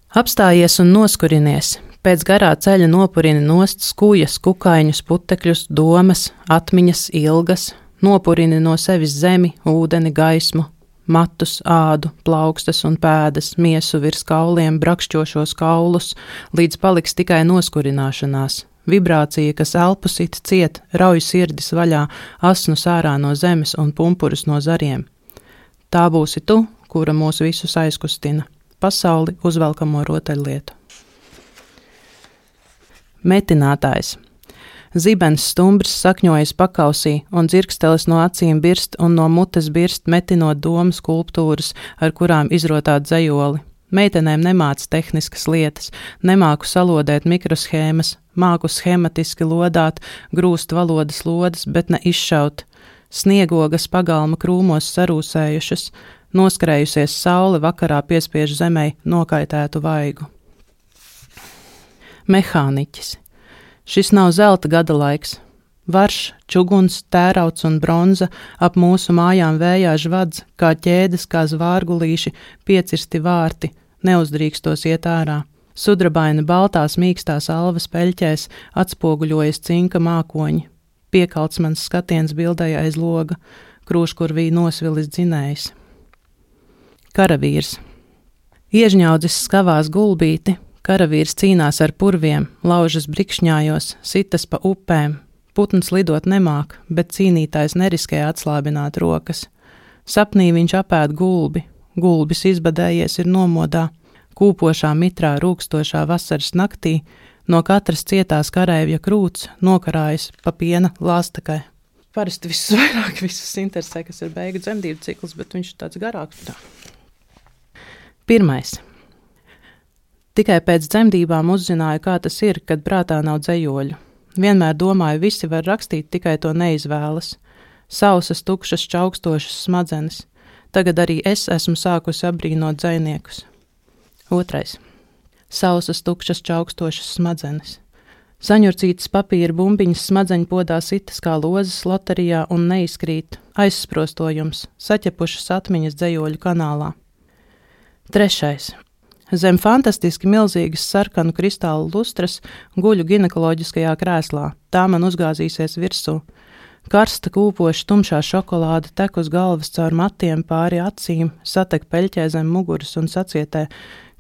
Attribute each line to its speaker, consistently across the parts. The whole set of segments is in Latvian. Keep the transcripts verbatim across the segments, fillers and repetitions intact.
Speaker 1: Apstājies un noskurinies, pēc garā ceļa nopurini nost skujas, kukaiņus, putekļus, domas, atmiņas, ilgas, nopurini no sevis zemi, ūdeni, gaismu, matus, ādu, plaukstas un pēdas, miesu virs kauliem, brakšķošos kaulus, līdz paliks tikai noskurināšanās. Vibrācija, kas elpu sit ciet, rauj sirdis vaļā, asnus ārā no zemes un pumpurus no zariem. Tā būsi tu, kura mūs visus aizkustina. Pasauli uzvelkamo rotaļlietu. Metinātājs. Zibens stumbrs sakņojas pakausī, un dzirkstelis no acīm birst un no mutes birst, metinot domu skulptūras, ar kurām izrotāt dzejoli. Meitenēm nemāc tehniskas lietas, nemāku salodēt mikroshēmas, māku schematiski lodāt, grūst valodas lodas, bet ne izšaut. Sniegogas pagalma krūmos sarūsējušas, noskrējusies saule vakarā piespiež zemei nokaitētu vaigu. Mehāniķis. Šis nav zelta gada laiks. Varš, čuguns, tērauds un bronza ap mūsu mājām vējā žvadz, kā ķēdes, kā zvārgulīši, piecirsti vārti, neuzdrīkstos iet ārā. Sudrabaina baltās mīkstās alvas peļķēs atspoguļojas cinka mākoņi. Piekalts mans skatiens bildēja aiz loga, krūškurvī nosvilis dzinējs. Karavīrs. Iežņaudzis skavās gulbīti, karavīrs cīnās ar purviem, laužas brikšņājos, sitas pa upēm. Putns lidot nemāk, bet cīnītājs neriskē atslābināt rokas. Sapnī viņš apēd gulbi, gulbis izbadējies ir nomodā, kūpošā mitrā rūkstošā vasaras naktī, no katras cietās kareivja krūts nokarājas pa piena lāstakai. Parasti visus vairāk visus interesē, kas ir beigu dzemdību cikls, bet viņš ir tāds garāks. Tā. Pirmais. Tikai pēc dzemdībām uzzināju, kā tas ir, kad prātā nav dzejoļu. Vienmēr domāju, visi var rakstīt, tikai to neizvēlas. Sausas, tukšas, čaukstošas smadzenes. Tagad arī es esmu sākusi apbrīnot dzejniekus. Otrais. Sausas, tukšas, čaukstošas smadzenes. Saņurcītas papīra bumbiņas smadzeņpodā sitas kā lozes loterijā un neizkrīt, aizsprostojums, saķepušas atmiņas dzejoļu kanālā. Trešais. Zem fantastiski milzīgas sarkanu kristālu lustras guļu ginekoloģiskajā krēslā, tā man uzgāzīsies virsū. Karsta kūpoša tumšā šokolāde tek uz galvas caur matiem pāri acīm, satek peļķē zem muguras un sacietē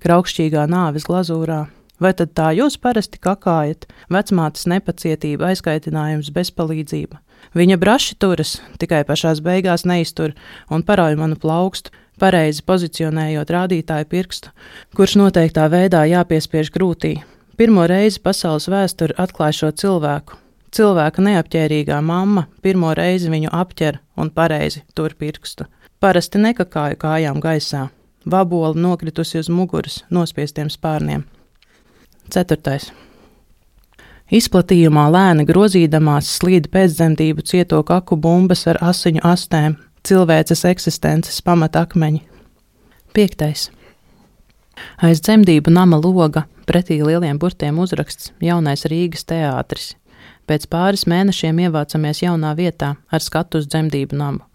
Speaker 1: kraukšķīgā nāves glazūrā. Vai tad tā jūs parasti kakājat? Vecmātes nepacietība, aizkaitinājums, bezpalīdzība. Viņa braši turas, tikai pašās beigās neiztur un parauj manu plaukstu, pareizi pozicionējot rādītāju pirkstu, kurš noteiktā veidā jāpiespiež krūtī. Pirmo reizi pasaules vēsture atklāj šo cilvēku. Cilvēka neapķērīgā mamma pirmo reizi viņu apķer un pareizi tur pirkstu. Parasti nekakāju kājām gaisā. Vabola nokritusi uz muguras nospiestiem spārniem. Ceturtais. Izplatījumā lēni grozīdamās slīd pēcdzemdību cieto kaku bumbas ar asiņu astēm, cilvēces eksistences pamatakmeņi. Piektais. Aiz dzemdību nama loga, pretī lieliem burtiem uzraksts Jaunais Rīgas teātris. Pēc pāris mēnešiem ievācamies jaunā vietā ar skatu uz dzemdību namu.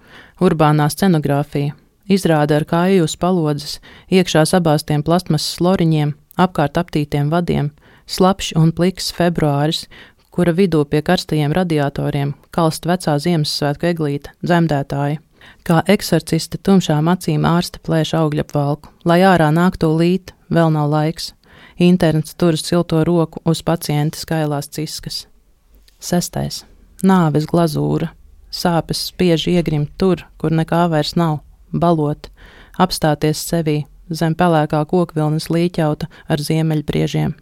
Speaker 1: Urbānā scenogrāfija. Izrāda ar kāju uz palodzes, iekšā sabāstiem plastmasas loriņiem, apkārt aptītiem vadiem, slapšs un pliks februāris, kura vidū pie karstajiem radiatoriem kalst vecā Ziemassvētku eglīte, dzemdētāji. Kā eksorciste tumšām acīm ārste plēš augļapvalku, lai ārā nāk tūlīt, vēl nav laiks. Interns turas silto roku uz pacienta skailās ciskas. Sestais. Nāves glazūra. Sāpes spiež iegrimt tur, kur nekā vairs nav. Balot, apstāties sevī, zem pelēkā kokvilnas līķauta ar ziemeļbriežiem.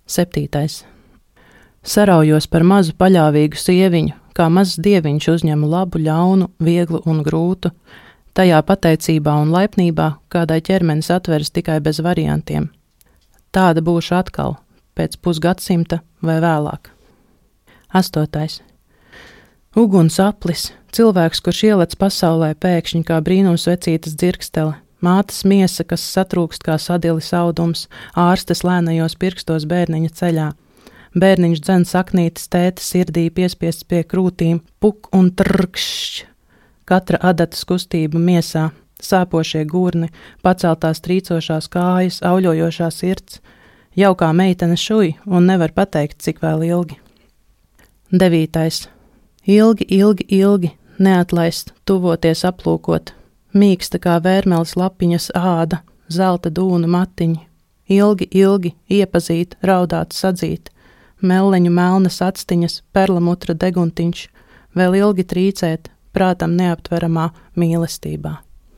Speaker 1: Septītais. Saraujos par mazu paļāvīgu sieviņu, kā mazs dieviņš uzņemu labu, ļaunu, vieglu un grūtu, tajā pateicībā un laipnībā, kādai ķermenis atveras tikai bez variantiem. Tāda būšu atkal, pēc pusgadsimta vai vēlāk. Astotais. Uguns aplis, cilvēks, kurš ielec pasaulē pēkšņi kā brīnums vecītas dzirkstele, mātes miesa, kas satrūkst kā sadilis audums, ārstes lēnajos pirkstos bērniņa ceļā. Bērniņš dzen saknītes tēta sirdī piespiests pie krūtīm, puk un trrkšķ. Katra adatas kustība miesā, sāpošie gurni, paceltās trīcošās kājas, auļojošā sirds. Jaukā meitene šuj un nevar pateikt, cik vēl ilgi. Devītais. Ilgi, ilgi, ilgi, neatlaist, tuvoties aplūkot. Mīksta kā vērmeles lapiņas āda, zelta dūnu matiņi. Ilgi, ilgi, iepazīt, raudāt, sadzīt. Melleņu melnas actiņas, perlamutra deguntiņš. Vēl ilgi trīcēt, prātam neaptveramā mīlestībā.